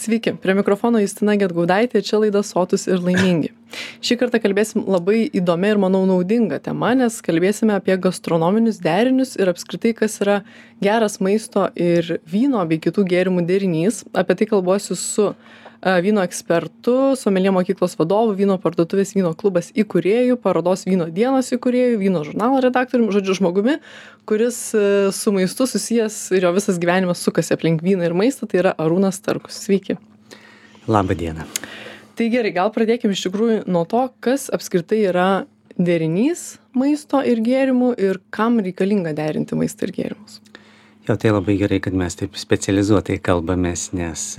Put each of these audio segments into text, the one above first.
Sveiki, prie mikrofono Justina Gedgaudaitė, čia laida Sotūs ir laimingi. Šį kartą kalbėsim labai įdomi ir, manau, naudinga tema, nes kalbėsime apie gastronominius derinius ir apskritai, kas yra geras maisto ir vyno bei kitų gėrimų derinys. Apie tai kalbuosiu su vyno ekspertu, someljė mokyklos vadovu, vyno parduotuvės Vyno klubas įkūrėju, parodos Vyno dienos įkūrėju, vyno žurnalo redaktoriumi, žodžiu, žmogumi, kuris su maistu susijęs ir jo visas gyvenimas sukasi aplink vyną ir maistą, tai yra Arūnas Starkus. Sveiki. Labą dieną. Tai gerai, gal pradėkime iš tikrųjų nuo to, kas apskritai yra derinys maisto ir gėrimų ir kam reikalinga derinti maistą ir gėrimus. Jo, tai labai gerai, kad mes taip specializuotai kalbamės, nes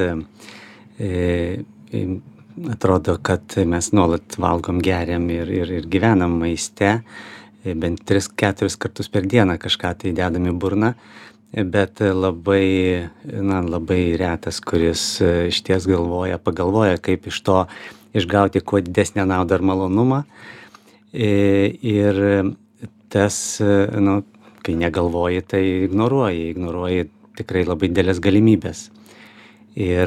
atrodo, kad mes nuolat valgom, geriam ir gyvenam maiste, bent 3-4 kartus per dieną kažką tai dedam į burną, bet labai retas, kuris išties pagalvoja, kaip iš to išgauti kuo didesnę naudą ir malonumą. Ir tas, kai negalvoji, tai ignoruoji tikrai labai didelės galimybės. Ir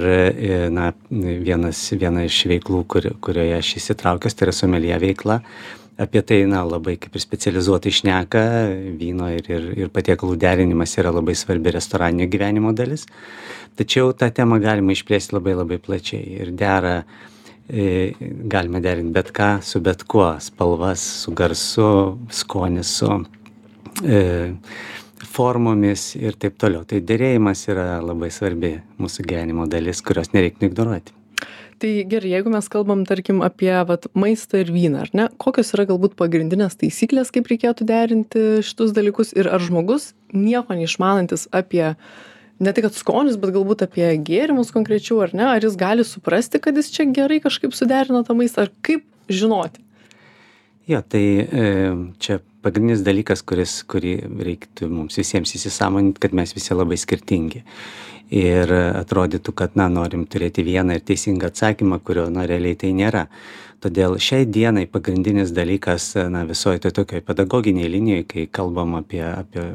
viena iš veiklų, kurioje aš įsitraukęs, tai yra someljė veikla. Apie tai labai kaip ir specializuotai šneka, vyno ir patiekalų derinimas yra labai svarbi restoraninio gyvenimo dalis. Tačiau tą temą galima išplėsti labai plačiai ir galime derinti bet ką su bet kuo, spalvas, su garsu, skonis, su formomis ir taip toliau. Tai derėjimas yra labai svarbi mūsų gyvenimo dalis, kurios nereiktų ignoruoti. Tai gerai, jeigu mes kalbam, tarkim, apie maistą ir vyną, ar ne? Kokios yra galbūt pagrindinės taisyklės, kaip reikėtų derinti šitus dalykus ir ar žmogus nieko neišmanantis apie, ne tik kad skonius, bet galbūt apie gėrimus konkrečiau, ar ne? Ar jis gali suprasti, kad jis čia gerai kažkaip suderino tą maistą, ar kaip žinoti? Jo, tai čia pagrindinis dalykas, kurį reiktų mums visiems įsisąmoninti, kad mes visi labai skirtingi. Ir atrodytų, kad norim turėti vieną ir teisingą atsakymą, kurio realiai tai nėra. Todėl šiai dienai pagrindinis dalykas visoje tokioj pedagoginiai linijoje, kai kalbam apie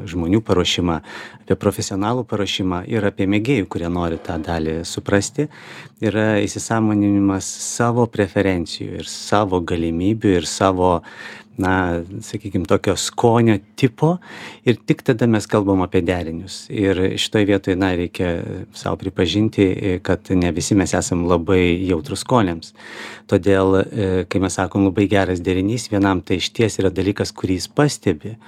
žmonių paruošimą, apie profesionalų paruošimą ir apie mėgėjų, kurie nori tą dalį suprasti, yra įsisąmoninimas savo preferencijų ir savo galimybių ir savo sakykime, tokio skonio tipo ir tik tada mes kalbam apie derinius. Ir šitoje vietoje, reikia savo pripažinti, kad ne visi mes esam labai jautrus skoniams. Todėl, kai mes sakom labai geras derinys, vienam tai išties yra dalykas, kurį jis pastebi,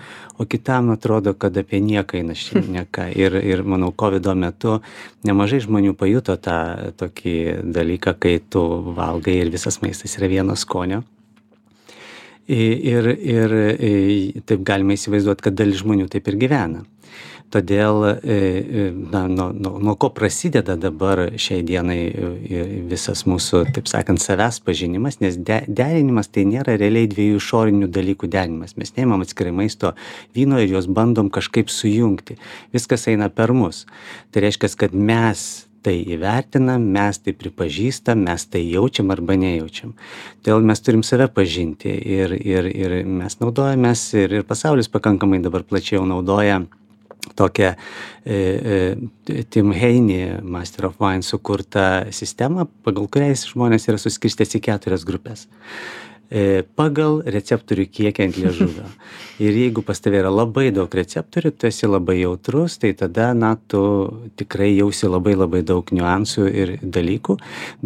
o kitam atrodo, kad apie nieką eina šneka. Ir manau, COVID metu nemažai žmonių pajuto tą tokį dalyką, kai tu valgai ir visas maistas yra vieno skonio. Ir taip galima įsivaizduoti, kad dalis žmonių taip ir gyvena. Todėl, nuo ko prasideda dabar šiai dienai visas mūsų, taip sakant, savęs pažinimas, nes derinimas tai nėra realiai dviejų išorinių dalykų derinimas. Mes neimam atskirai maisto, vyno ir juos bandom kažkaip sujungti. Viskas eina per mus. Tai reiškia, kad mes tai įvertinam, mes tai pripažįstam, mes tai jaučiam arba nejaučiam. Todėl mes turim save pažinti ir mes naudojamės ir pasaulis pakankamai dabar plačiau naudoja tokią Tim Haynie Master of Wine sukurtą sistemą, pagal kurią žmonės yra suskirstęs į 4 grupės. Pagal receptorių kiekį ant liežuvio. Ir jeigu pas tave yra labai daug receptorių, tu esi labai jautrus, tai tada, tu tikrai jausi labai daug niuansų ir dalykų,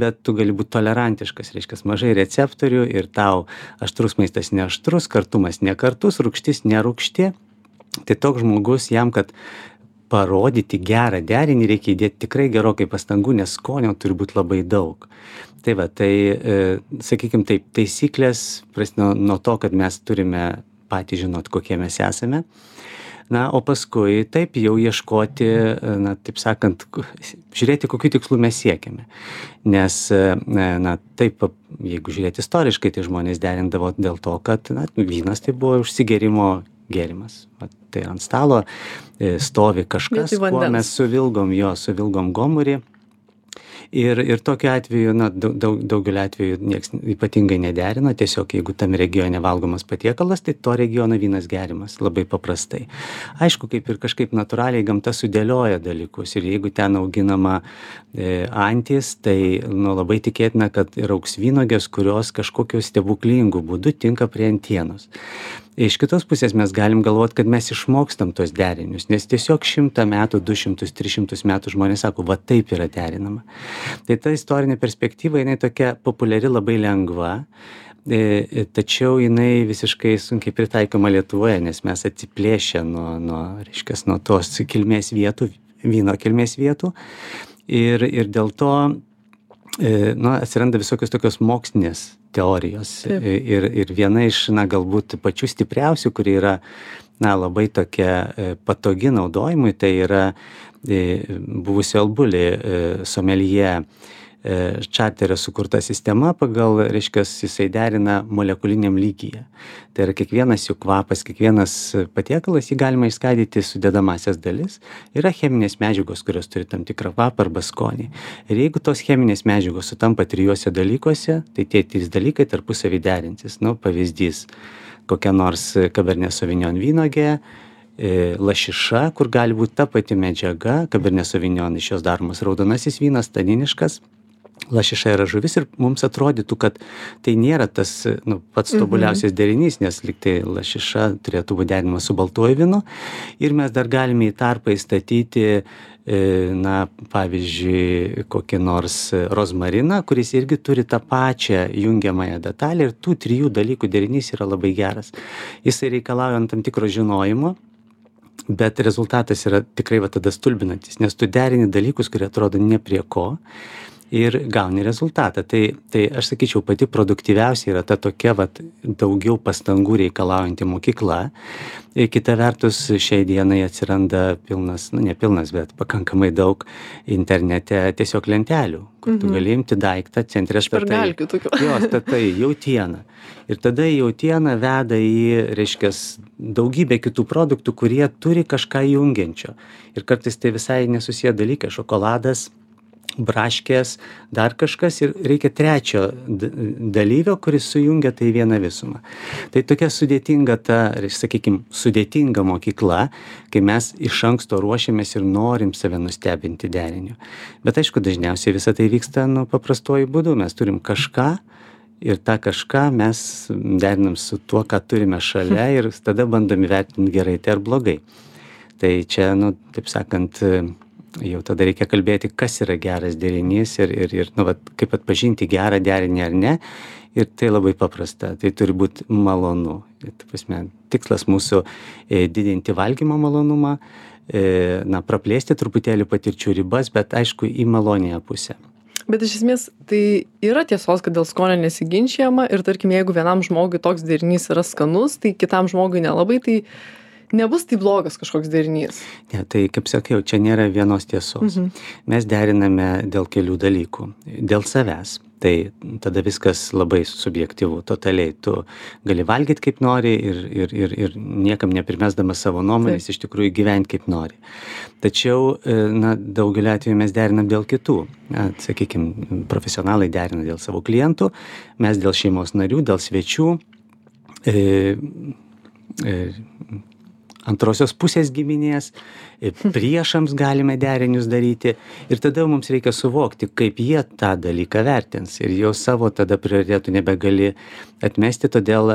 bet tu gali būti tolerantiškas, reiškia, mažai receptorių ir tau aštrus maistas neaštrus, kartumas nekartus, rūgštis nerūgšti. Tai toks žmogus jam, kad parodyti gerą derinį, reikia įdėti tikrai gerokai pastangų, nes skonio turi būti labai daug. Tai sakykime taip, taisyklės prasideda nuo to, kad mes turime patys žinoti, kokie mes esame. O paskui taip jau ieškoti, taip sakant, žiūrėti, kokių tikslų mes siekiame. Nes, taip, jeigu žiūrėti istoriškai, tai žmonės derindavo dėl to, kad vynas tai buvo užsigerimo gėrimas. Tai ant stalo stovi kažkas, kuo mes suvilgom gomurį. Ir tokiu atveju, na, daugeliu atveju nieks ypatingai nederina, tiesiog jeigu tam regione valgomas patiekalas, tai to regiono vynas geriamas labai paprastai. Aišku, kaip ir kažkaip natūraliai gamta sudėlioja dalykus ir jeigu ten auginama antis, tai labai tikėtina, kad ir augs vynuogės, kurios kažkokiu stebuklingu būdu tinka prie antienos. Iš kitos pusės mes galim galvoti, kad mes išmokstam tos derinius, nes tiesiog 100 metų, 200, 300 metų žmonės sako, va taip yra derinama. Tai ta istorinė perspektyva, jinai tokia populiari, labai lengva, tačiau jinai visiškai sunkiai pritaikoma Lietuvoje, nes mes atsiplėšę nuo tos kilmės vietų, vyno kilmės vietų ir dėl to atsiranda visokios tokios mokslinės teorijos. Ir viena iš, galbūt pačių stipriausių, kuri yra, labai tokia patogi naudojimui, tai yra buvusio Albulį someljė Čarterio sukurta sistema, pagal, jisai derina molekuliniam lygyje. Tai yra kiekvienas jų kvapas, kiekvienas patiekalas, jį galima išskaidyti sudedamasias dalis. Yra cheminės medžiagos, kurios turi tam tikrą kvapą arba skonį. Ir jeigu tos cheminės medžiagos sutampa 3 dalykuose, tai tie 3 dalykai tarpusavy derinsis. Pavyzdys, kokia nors Cabernet Sauvignon vynuogė, lašiša, kur gali būti ta pati medžiaga, Cabernet Sauvignon iš jos daromas raudonasis vynas, taniniškas, lašiša yra žuvis ir mums atrodytų, kad tai nėra tas pats tobuliausias derinys, nes lyg tai lašiša turėtų būti derinama su baltuoju vynu ir mes dar galime į tarpą įstatyti, pavyzdžiui, kokį nors rozmariną, kuris irgi turi tą pačią jungiamąją detalę ir tų 3 dalykų derinys yra labai geras. Jisai reikalauja tam tikro žinojimo, bet rezultatas yra tikrai tada stulbinantis, nes tu derini dalykus, kurie atrodo ne prie ko ir gauni rezultatą. Tai aš sakyčiau, pati produktyviausia yra ta tokia daugiau pastangų reikalaujanti mokykla. Ir kita vertus, šiai dienai atsiranda pilnas, ne pilnas, bet pakankamai daug internete tiesiog lentelių, kur tu gali imti daiktą, centre statai jautieną. Ir tada jautiena veda į, daugybę kitų produktų, kurie turi kažką jungiančio. Ir kartais tai visai nesusiję dalykai, šokoladas, braškės, dar kažkas ir reikia 3 dalyvio, kuris sujungia tai vieną visumą. Tai tokia sudėtinga sudėtinga mokykla, kai mes iš anksto ruošiamės ir norim save nustebinti deriniu. Bet aišku, dažniausiai visą tai vyksta paprastuoju būdu. Mes turim kažką ir tą kažką mes derinam su tuo, ką turime šalia ir tada bandom įvertinti gerai tai ar blogai. Tai čia, taip sakant, jau tada reikia kalbėti, kas yra geras derinys ir kaip atpažinti gerą derinį ar ne. Ir tai labai paprasta, tai turi būti malonu. Tikslas mūsų didinti valgymo malonumą, praplėsti truputėlį patirčių ribas, bet aišku į malonėją pusę. Bet iš esmės tai yra tiesos, kad dėl skonio nesiginčijama ir tarkim, jeigu vienam žmogui toks derinys yra skanus, tai kitam žmogui nelabai, tai nebus tai blogas kažkoks derinys. Ne, tai kaip sakiau, čia nėra vienos tiesos. Mes deriname dėl kelių dalykų. Dėl savęs. Tai tada viskas labai subjektyvu, totaliai. Tu gali valgyti kaip nori ir niekam neprimesdamas savo nuomonės iš tikrųjų gyventi kaip nori. Tačiau, daugelį atveju mes derinam dėl kitų. Sakykime, profesionalai derina dėl savo klientų, mes dėl šeimos narių, dėl svečių, antrosios pusės giminės, priešams galime derinius daryti ir tada mums reikia suvokti, kaip jie tą dalyką vertins ir jau savo tada prioritetų nebegali atmesti, todėl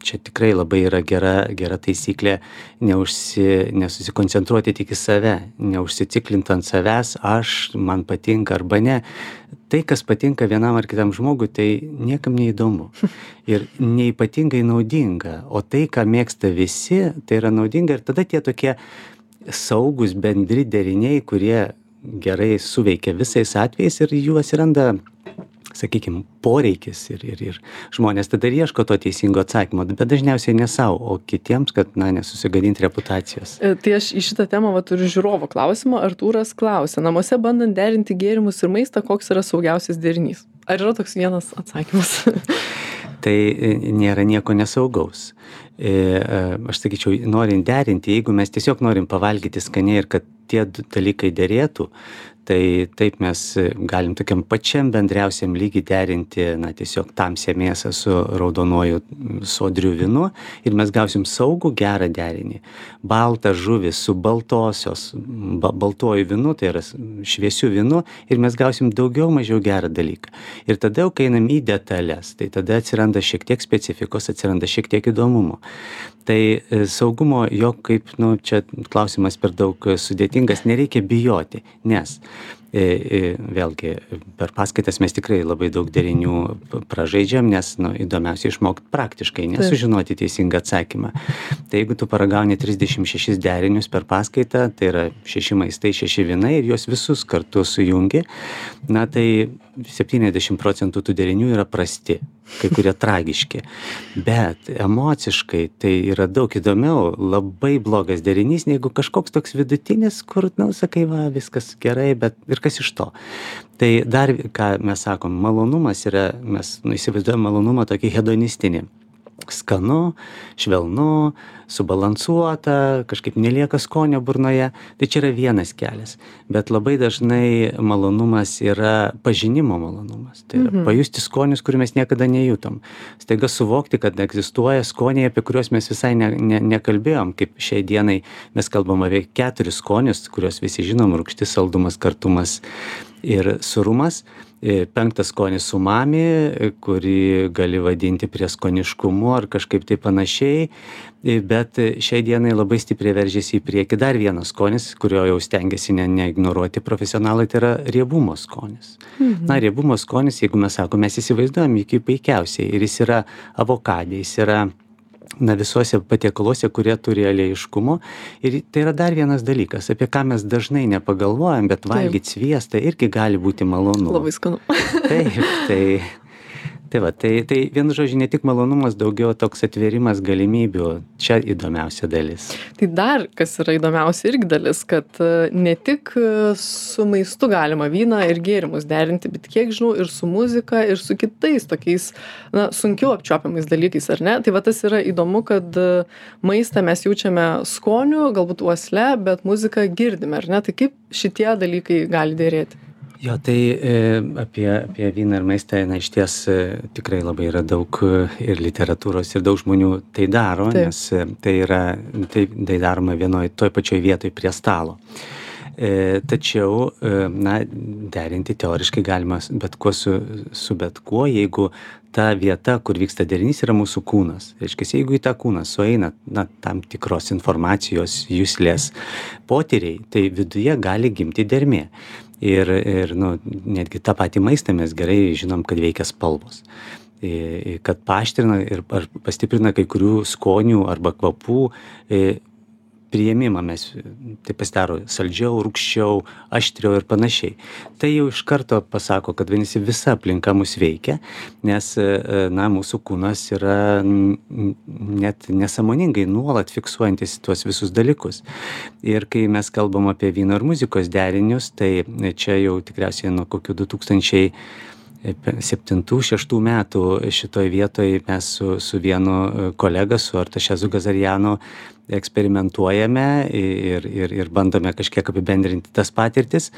čia tikrai labai yra gera taisyklė nesusikoncentruoti tik į save, neužsiciklinti ant savęs, man patinka arba ne. Tai, kas patinka vienam ar kitam žmogui, tai niekam neįdomu ir neypatingai naudinga, o tai, ką mėgsta visi, tai yra naudinga ir tada tie tokie saugus bendri deriniai, kurie gerai suveikia visais atvejais ir jų atsiranda, sakykime, poreikis ir žmonės tada ieško to teisingo atsakymo, bet dažniausiai ne savo, o kitiems, kad nesusigadinti reputacijos. Tai aš į šitą temą turiu žiūrovo klausimą. Artūras klausia, namuose bandant derinti gėrimus ir maistą, koks yra saugiausias derinys? Ar yra toks vienas atsakymas? Tai nėra nieko nesaugaus. Aš sakyčiau, norint derinti, jeigu mes tiesiog norim pavalgyti skaniai ir kad tie dalykai derėtų, Tai taip mes galim tokiam pačiam bendriausiam lygy derinti, na, tiesiog tamsią mėsą su raudonuoju sodriu vynu ir mes gausim saugų gerą derinį. Baltą žuvį su baltuoju vynu, tai yra šviesiu vynu, ir mes gausim daugiau mažiau gerą dalyką. Ir tada jau, kai einam į detalės, tai tada atsiranda šiek tiek specifikos, atsiranda šiek tiek įdomumo. Tai saugumo, jo kaip, čia klausimas per daug sudėtingas, nereikia bijoti, nes vėlgi per paskaitas mes tikrai labai daug derinių pražaidžiam, nes įdomiausia išmokti praktiškai, nesužinoti teisingą atsakymą. Tai jeigu tu paragauni 36 derinius per paskaitą, tai yra 6 maistai, 6 vynai ir juos visus kartu sujungi, na tai 70% tų derinių yra prasti, kai kurie tragiški. Bet emociškai tai yra daug įdomiau, labai blogas derinys, negu kažkoks toks vidutinis, kur, sakai, va, viskas gerai, bet ir kas iš to. Tai dar, ką mes sakom, malonumas yra, mes įsivaizduojam malonumą tokį hedonistinį. Skanu, švelnu, subalansuota, kažkaip nelieka skonio burnoje. Tai čia yra vienas kelias. Bet labai dažnai malonumas yra pažinimo malonumas. Tai yra pajusti skonius, kurių mes niekada nejutom. Staiga suvokti, kad egzistuoja skoniai, apie kuriuos mes visai nekalbėjom. Kaip šiai dienai mes kalbam apie 4 skonius, kuriuos visi žinom: rūgštis, saldumas, kartumas ir surumas. 5 skonis umami, kurį gali vadinti prieskoniškumu ar kažkaip tai panašiai, bet šiai dienai labai stipriai veržiasi į priekį dar vienas skonis, kurio jau stengiasi neignoruoti profesionalai, tai yra riebumo skonis. Na, riebumo skonis, jeigu mes sakome, mes įsivaizduojam jį kaip puikiausiai, ir jis yra avokadė, jis yra visuose patiekaluose, kurie turi aliejiškumo. Ir tai yra dar vienas dalykas, apie ką mes dažnai nepagalvojam, bet valgyti sviestą irgi gali būti malonu. Labai skanu. Taip. Tai vienu žodžiu, ne tik malonumas, daugiau toks atvėrimas galimybių. Čia įdomiausia dalis. Tai dar, kas yra įdomiausia irgi dalis, kad ne tik su maistu galima vyną ir gėrimus derinti, bet kiek žinau, ir su muzika, ir su kitais tokiais, sunkiau apčiuopiamais dalykais, ar ne? Tai va, tas yra įdomu, kad maistą mes jaučiame skoniu, galbūt uosle, bet muziką girdime, ar ne? Tai kaip šitie dalykai gali dėrėti? Jo, tai apie vyną ir maistą, iš ties tikrai labai yra daug ir literatūros, ir daug žmonių tai daro, nes tai daroma toj pačioj vietoj prie stalo. Tačiau, derinti teoriškai galima bet kuo su bet kuo, jeigu ta vieta, kur vyksta derinys, yra mūsų kūnas. Reiškia, jeigu į tą kūną sueina tam tikros informacijos, juslės potyriai, tai viduje gali gimti dermė. Ir netgi tą patį maistą mes gerai žinom, kad veikia spalvos. Kad paaštrina ar pastiprina kai kurių skonių arba kvapų priėmimą, mes tai pasidaro saldžiau, rūgščiau, aštriau ir panašiai. Tai jau iš karto pasako, kad visa aplinka mus veikia, nes mūsų kūnas yra net nesąmoningai nuolat fiksuojantis tuos visus dalykus. Ir kai mes kalbam apie vyno ir muzikos derinius, tai čia jau tikriausiai nuo kokių 2007-2006 metų šitoj vietoj mes su vienu kolega, su Artašezu Gazarianu, eksperimentuojame ir bandome kažkiek apibendrinti tas patirtis.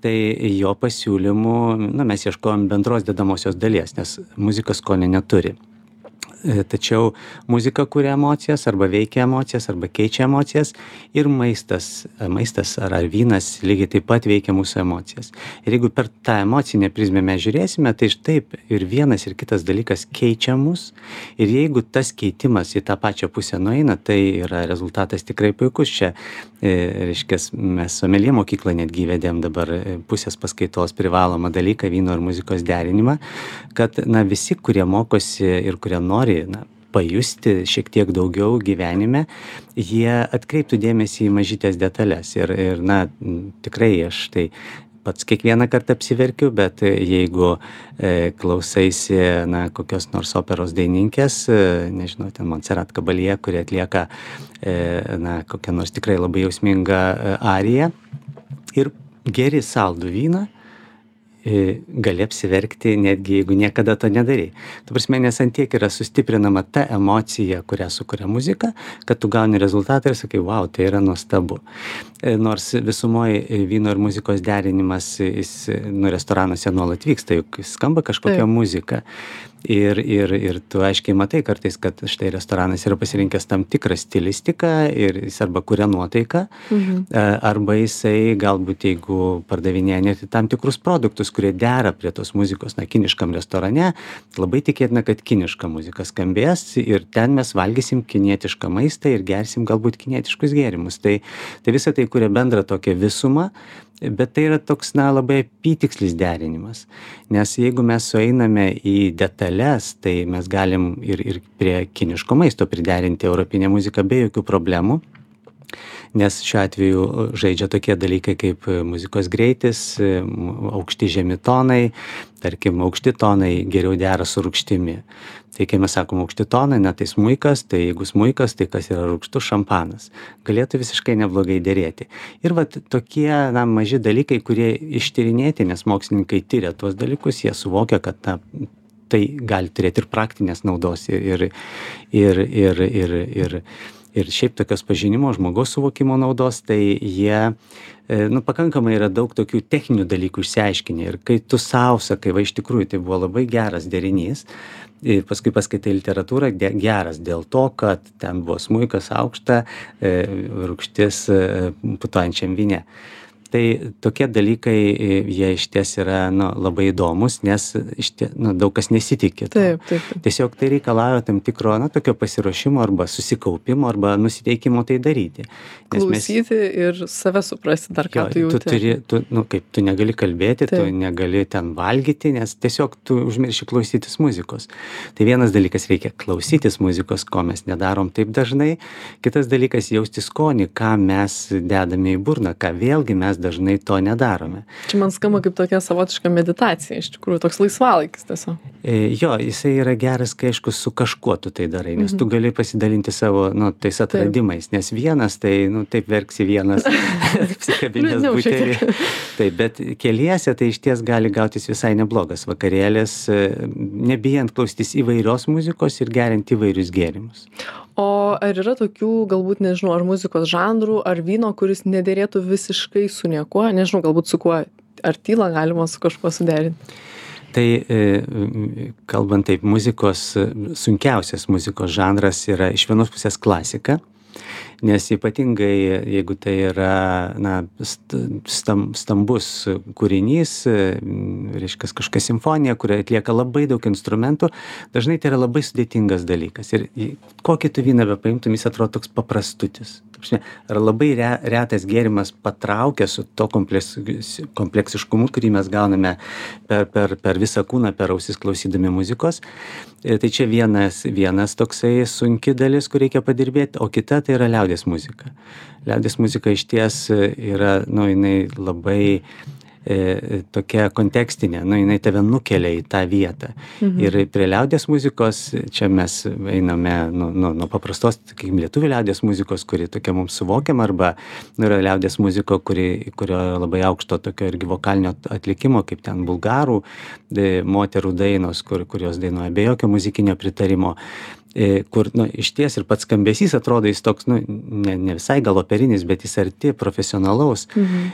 Tai jo pasiūlymų, mes ieškojom bendros dedamosios dalies, nes muzika skonio neturi. Tačiau muzika kuria emocijas, arba veikia emocijas, arba keičia emocijas, ir maistas ar vynas lygiai taip pat veikia mūsų emocijas. Ir jeigu per tą emocinę prizmę mes žiūrėsime, tai taip ir vienas ir kitas dalykas keičia mus, ir jeigu tas keitimas į tą pačią pusę nueina, tai yra rezultatas tikrai puikus. Čia, reiškia, mes someljė mokyklą netgi įvedėm dabar pusės paskaitos privalomą dalyką, vyno ir muzikos derinimą, kad visi, kurie mokosi ir kurie nori pajusti šiek tiek daugiau gyvenime, jie atkreiptų dėmesį į mažytės detalės. Ir tikrai aš tai pats kiekvieną kartą apsiverkiu, bet jeigu klausaisi kokios nors operos dainininkės, nežinau, ten Montserrat Caballé, kuri atlieka kokią nors tikrai labai jausmingą ariją, ir geri saldų vyną, gali apsiverkti, netgi jeigu niekada to nedarai. Ta prasme, nes ant tiek yra sustiprinama ta emocija, kurią sukuria muzika, kad tu gauni rezultatą ir sakai, wow, tai yra nuostabu. Nors visumoje vyno ir muzikos derinimas, jis restoranuose nuolat vyksta, juk skamba kažkokia muzika. Ir tu aiškiai matai kartais, kad štai restoranas yra pasirinkęs tam tikrą stilistiką ir jis arba kuria nuotaiką, arba jisai galbūt jeigu pardavinėja net tam tikrus produktus, kurie dera prie tos muzikos, kiniškam restorane, labai tikėtina, kad kiniška muzika skambės ir ten mes valgysim kinietišką maistą ir gersim galbūt kinietiškus gėrimus. Tai visą tai kuria bendrą tokią visumą, bet tai yra toks, labai apytikslis derinimas. Nes jeigu mes sueiname į detalės, tai mes galim ir prie kiniško maisto priderinti europinę muziką be jokių problemų. Nes šiuo atveju žaidžia tokie dalykai kaip muzikos greitis, aukšti žemi tonai, tarkim, aukšti tonai geriau dera su rūgštimi. Tai kai mes sakom aukšti tonai, tai smuikas, tai jeigu smuikas, tai kas yra rūgštus, šampanas. Galėtų visiškai neblogai derėti. Ir tokie maži dalykai, kurie ištyrinėti, nes mokslininkai tyria tuos dalykus, jie suvokia, kad tai gali turėti ir praktinės naudos ir šiaip tokios pažinimo, žmogaus suvokimo naudos, tai jie pakankamai yra daug tokių techninių dalykų išsiaiškinę. Ir kai tu sau sakai, iš tikrųjų tai buvo labai geras derinys, paskui paskaitai literatūrą, geras dėl to, kad ten buvo smuikas aukšta, rūgštis putojančiam vyne. Tai tokie dalykai, jie išties yra labai įdomus, nes daug kas nesitikė. Taip. Tiesiog tai reikalauja tam tikro tokio pasiruošimo arba susikaupimo arba nusiteikimo tai daryti. Klausyti ir save suprasti dar, ką tu jauti. Tu negali kalbėti, tu negali ten valgyti, nes tiesiog tu užmirši klausytis muzikos. Tai vienas dalykas, reikia klausytis muzikos, ko mes nedarom taip dažnai. Kitas dalykas, jausti skonį, ką mes dedame į burną, ką vėlgi mes dažnai to nedarome. Čia man skamba kaip tokia savotiška meditacija, iš tikrųjų, toks laisvalaikis tiesiog. Jo, jisai yra geras, kai aišku, su kažkuo tu tai darai, nes tu gali pasidalinti savo, tais atradimais, nes vienas, tai, taip verksi vienas, apsikabinęs butelį. Taip, bet keliese tai išties gali gautis visai neblogas vakarėlis, nebijant klausytis įvairios muzikos ir geriant įvairius gėrimus. O ar yra tokių, galbūt, nežinau, ar muzikos žanrų, ar vyno, kuris nederėtų visiškai su niekuo, nežinau, galbūt su kuo, ar tylą galima su kažkuo suderinti? Tai kalbant taip, sunkiausias muzikos žanras yra iš vienos pusės klasika, nes ypatingai, jeigu tai yra stambus kūrinys, reiškia kažkokia simfonija, kurioje atlieka labai daug instrumentų, dažnai tai yra labai sudėtingas dalykas. Ir kokį tu vyną bepaimtum, jis atrodo toks paprastutis. Ar labai retas gėrimas patraukia su to kompleksiškumu, kurį mes gauname per visą kūną, per ausis klausydami muzikos. Tai čia vienas toksai sunki dalis, kur reikia padirbėti, o kita tai yra liaudies muzika. Liaudies muzika išties yra, jinai labai tokia kontekstinė, jinai tave nukelia į tą vietą. Ir prie liaudies muzikos, čia mes einame nuo paprastos, sakykime, lietuvių liaudies muzikos, kuri tokia mums suvokiama, arba yra liaudies muziko, kurio labai aukšto tokio irgi vokalinio atlikimo, kaip ten bulgarų moterų dainos, kurios dainuoja be jokio muzikinio pritarimo. Kur išties ir pats skambesys atrodo jis toks, ne visai gal operinis, bet jis arti profesionalaus.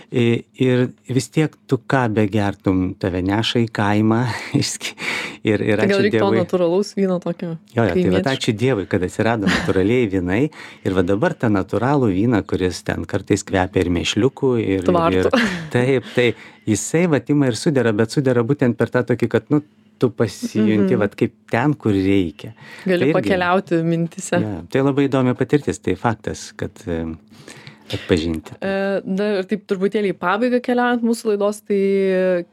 Ir vis tiek tu ką begertum, tave neša į kaimą. Ir tai gal reikia to natūralaus vyno tokio? Jo, tai ačiū Dievui, kad atsirado natūraliai vynai. Ir dabar tą natūralų vyną, kuris ten kartais kvepia ir mėšliukų. Taip, jisai ima ir sudera, bet sudera būtent per tą tokį, kad tu pasijunti kaip ten, kur reikia. Gali pakeliauti mintise. Ja, tai labai įdomi patirtis, tai faktas, kad atpažinti. Dar taip truputėlį į pabaigą keliaujant mūsų laidos, tai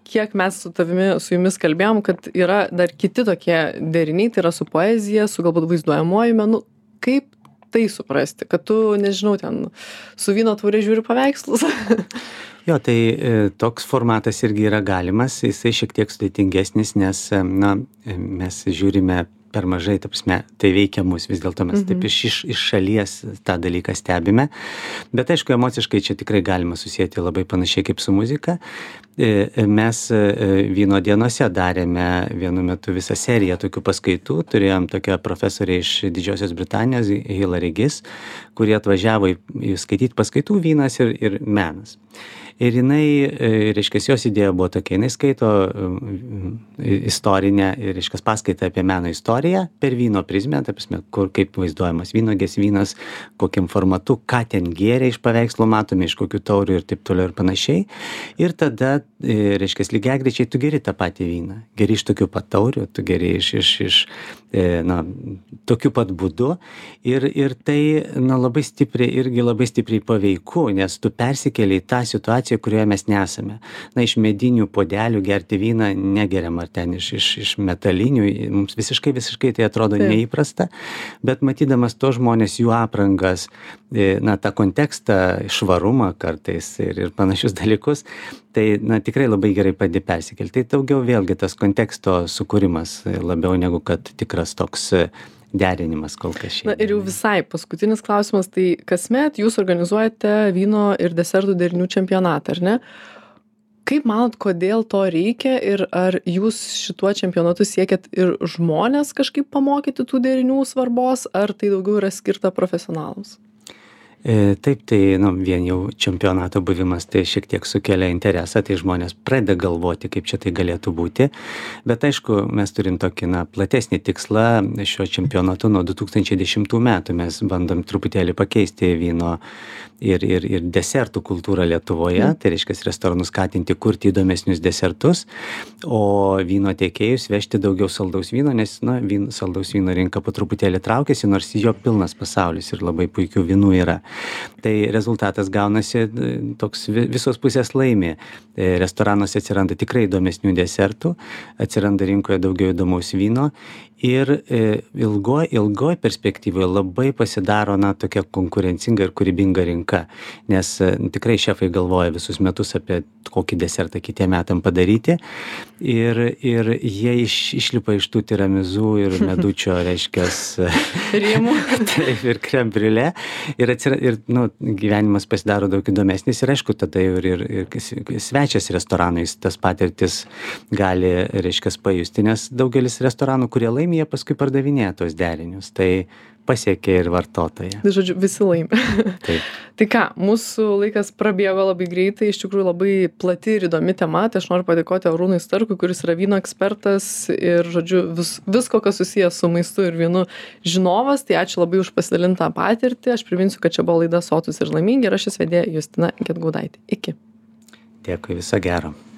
kiek mes su jumis kalbėjom, kad yra dar kiti tokie deriniai, tai yra su poezija, su galbūt vaizduojamuoju menu. Kaip tai suprasti, kad tu, nežinau, ten su vyno taure žiūri paveikslus? Jo, tai toks formatas irgi yra galimas, jisai šiek tiek sudėtingesnis, nes mes žiūrime per mažai, ta prasme, tai veikia mus, vis dėlto mes taip iš šalies tą dalyką stebime. Bet aišku, emociškai čia tikrai galima susijęti labai panašiai kaip su muzika. Mes vyno dienose darėme vienu metu visą seriją tokių paskaitų. Turėjom tokią profesorę iš Didžiosios Britanijos, Hilary Giss, kurie atvažiavo skaityti paskaitų vynas ir menas. Ir jinai, reiškia, jos idėja buvo tokia, jinai skaito istorinę, reiškia, paskaitą apie meno istoriją per vyno prizmę, ta prasme, kaip vaizduojamas vynuogės vynas, kokiam formatu, ką ten gėrė iš paveikslo matome, iš kokių taurių ir taip toliau ir panašiai. Ir tada, reiškia, lygiagrečiai tu geri tą patį vyną. Geri iš tokių pat taurių, tu geri iš tokiu pat būdu. Ir tai, labai stipriai paveiku, nes tu persikeli į tą situaciją, kurioje mes nesame. Iš medinių puodelių gerti vyną negeriam, ar ten iš metalinių, mums visiškai tai atrodo neįprasta, bet matydamas to žmonės, jų aprangas, tą kontekstą, švarumą kartais ir panašius dalykus, tai tikrai labai gerai padeda persikelti. Tai daugiau vėlgi tas konteksto sukūrimas labiau negu kad tikras toks derinimas kol kas šiandien. Ir jau visai paskutinis klausimas, tai kasmet jūs organizuojate vyno ir desertų derinių čempionatą, ar ne? Kaip manot, kodėl to reikia ir ar jūs šituo čempionatu siekiat ir žmonės kažkaip pamokyti tų derinių svarbos, ar tai daugiau yra skirta profesionalams? Taip, tai vien jau čempionato buvimas tai šiek tiek sukelia interesą, tai žmonės pradeda galvoti, kaip čia tai galėtų būti, bet aišku, mes turim tokį platesnį tikslą šio čempionatu nuo 2010 metų, mes bandom truputėlį pakeisti vyno ir desertų kultūrą Lietuvoje, tai reiškia restoranus skatinti kurti įdomesnius desertus, o vyno tiekėjus vežti daugiau saldaus vyno, nes saldaus vyno rinka po truputėlį traukiasi, nors jo pilnas pasaulis ir labai puikių vynų yra. Tai rezultatas gaunasi toks visos pusės laimi. Restoranuose atsiranda tikrai įdomesnių desertų, atsiranda rinkoje daugiau įdomaus vyno ir ilgoj perspektyvoje labai pasidaro tokia konkurencinga ir kūrybinga rinka, nes tikrai šefai galvoja visus metus apie kokį desertą kitiem metam padaryti ir jie išlipa iš tų tiramizų ir medučio, reiškia, rėmų. Taip, ir krem briulė ir gyvenimas pasidaro daug įdomesnis ir aišku, tada ir svečias restoranais tas patirtis gali, reiškia, pajusti, nes daugelis restoranų, kurie laimi, jie paskui pardavinėja tos derinius, tai pasiekia ir vartotoją. Tai žodžiu, visi laimi. Taip. Tai ką, mūsų laikas prabėgo labai greitai, iš tikrųjų labai plati ir įdomi tema, tai aš noriu padėkoti Arūnui Starkui, kuris yra vyno ekspertas ir, žodžiu, visko, kas susijęs su maistu ir vynu žinovas, tai ačiū labai už pasidalintą patirtį, aš priminsiu, kad čia buvo laida Sotūs ir laimingi ir aš jos vedėja Justina Gedgaudaitė. Iki. Dėkui, viso gero.